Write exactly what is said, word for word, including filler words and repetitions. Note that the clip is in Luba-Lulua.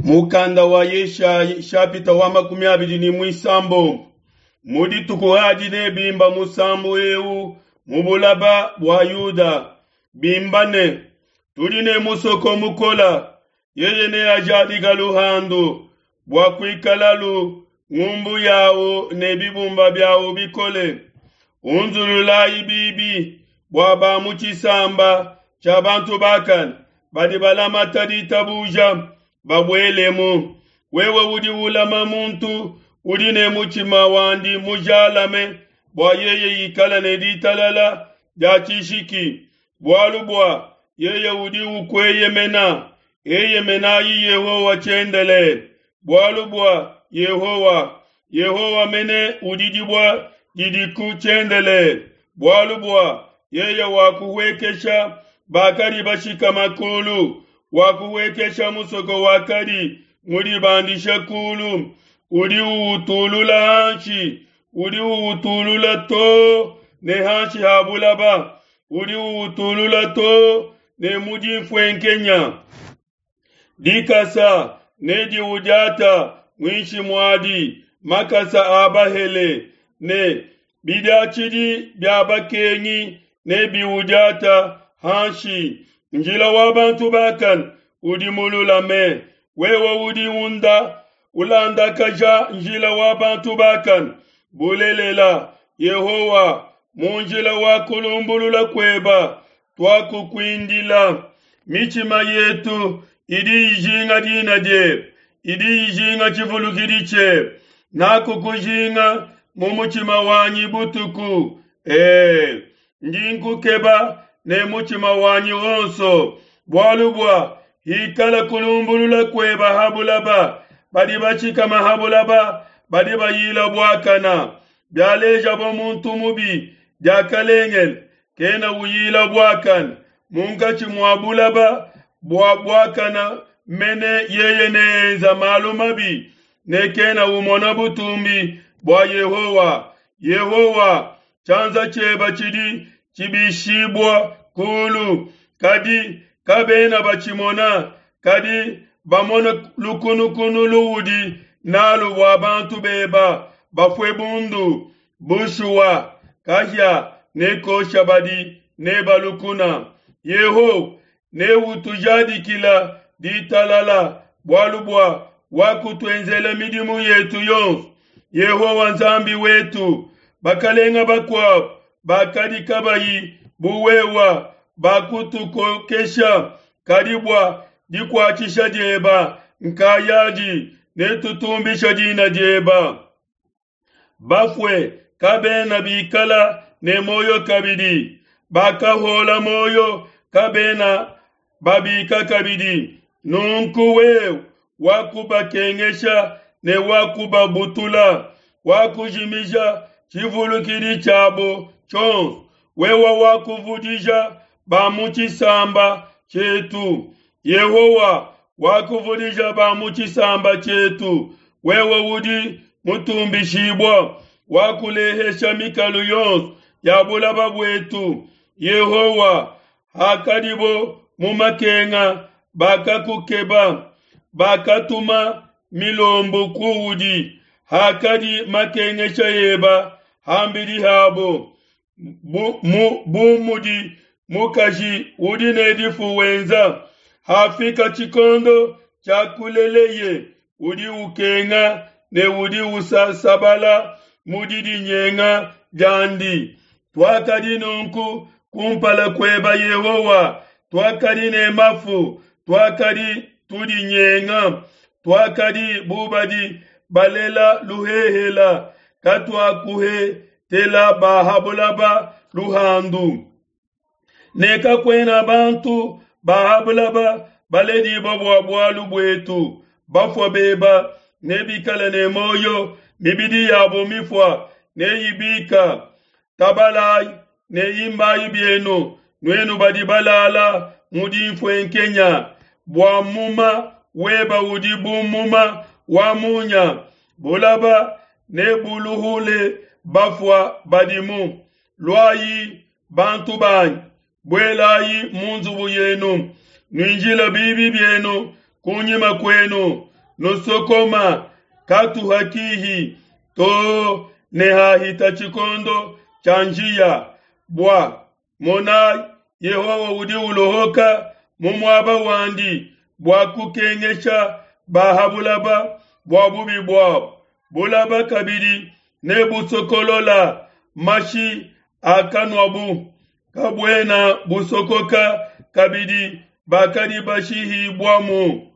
Mukanda wa Yeshayi shapita wa makumi abidi ne muisambombo mu dituku adi nebimba musambu eu mu bulaba bua Yuda, bimba ne: Tudi ne musoko mukola, yeye neajadika luhandu bua kuikalalu ngumbu yawu ne bibumba biawu bikole. Unzululayi bibi bua ba mu tshisamba tshia bantu bakane badi balamata ditabuja babuelemu. Wewe udi ulama muntu udi ne mutshima wandi mujalame bua yeye ikala ne ditalala dia tshishiki, bualu bua yeye udi ukueyemena. Eyemenayi Yehowa tshiendelele, bualu bua Yehowa, Yehowa mene udi dibue didiku tshiendelele, bualu bua yeye wakuhuekesha bakadi bashikama kulu, wakuhuekesha musoko wakadi mudibandishe kulu, udi uwutulula hanshi, udi uwutulula too ne hanshi ha bulaba, udi uwutulula too ne mu dinfuenkenya. Dikasa nediudiata muinshi muadi, makasa a bahele ne bidiatshidi bia bakengi nebiudiata hanshi. Njila wa bantu bakane udi mululame, wewe udi unda ulandakaja njila wa bantu bakane. Bulelela, Yehowa, mu njila wa kulumbulula kueba tuakukuindila. Mitshima yetu idi ijinga dina diebe, idi ijinga tshivulukidi tshiebe. Nakukujinga mu mutshima wanyi butuku, ee, ndi nkukeba ne mutshima wanyi wonso, bualu bua hikala kulumbulula kueba ha bulaba, badi bashikama ha bulaba badi bayila buakana. Bialejabo muntu mubi diakalengele, kena uyila buakana. Munkatshi mua bulaba bua buakana mene yeye neenza malu mabi, ne kena umona butumbi bua Yehowa. Yehowa, tshianza tshieba tshidi tshibishibua kulu, kadi kabena batshimona, kadi bamona lukunukunu luudi nalu bua bantu beba bafue bundu. Bushuwa, kahia nekosha badi neba lukuna. Yehowa neutujadikila ditalala, bualu bua wakutuenzela midimu yetu yonso. Yehowa Nzambi wetu, bakalenga bakuabu bakadi kabayi bu wewa bakutukokesha, kadi bua dikuatshisha dieba nkayadi netutumbisha dina dieba. Bafue kabena bikala ne moyo kabidi, bakahola moyo kabena babika kabidi. Nunku wewe wakubakengesha ne wakubabutula, wakujimija tshivulukidi tshiabo tshionso. Wewe wakuvudija ba mu tshisamba tshietu, Yehowa wakuvudija ba mu tshisamba tshietu. Wewe udi mutumbishibua, wakulehesha mikalu yonso ya bulaba buetu. Yehowa, hakadibo mu makenga bakakukeba, bakatuma milombu kuudi. Hakadi makengesha eba hambidi habo, bu, mu, bu mudi mukaji udi ne difu wenza. Hafika tshikondo tshia kuleleye, udi ukenga ne udi usasabala mu didinyenga diandi. Tuakadi nunku kumpala kueba Yehowa, tuakadi ne mafu, tuakadi tudinyenga, tuakadi bubadi balela luhehela, katuakuhetela bahabulaba luhandu. Ne kakuena bantu bahabulaba baledibua bua bualu buetu. Bafua beba nebikale ne moyo, mibidi yabo mifua neyibika. Tabalayi ne imbayi bienu, nuenu badi balala mu dinfuenkenya, bua muma weba udi bu muma wa munya. Bulaba nebuluhule bafua badimu. Luayi bantu banyi, buelayi mu nzubu yenu, nuinjile bibi bienu kunyima kuenu, nusokoma katuha kihi to ne hahita tshikondo tshia njiya. Bua monai, Yehowa udi ulohoka mu muaba wandi bua kukengesha ba ha bulaba bua bubi buabo. Bulaba kabidi nebusokolola mashi akanuabu, kabuena busokoka kabidi bakadi bashihibuamu.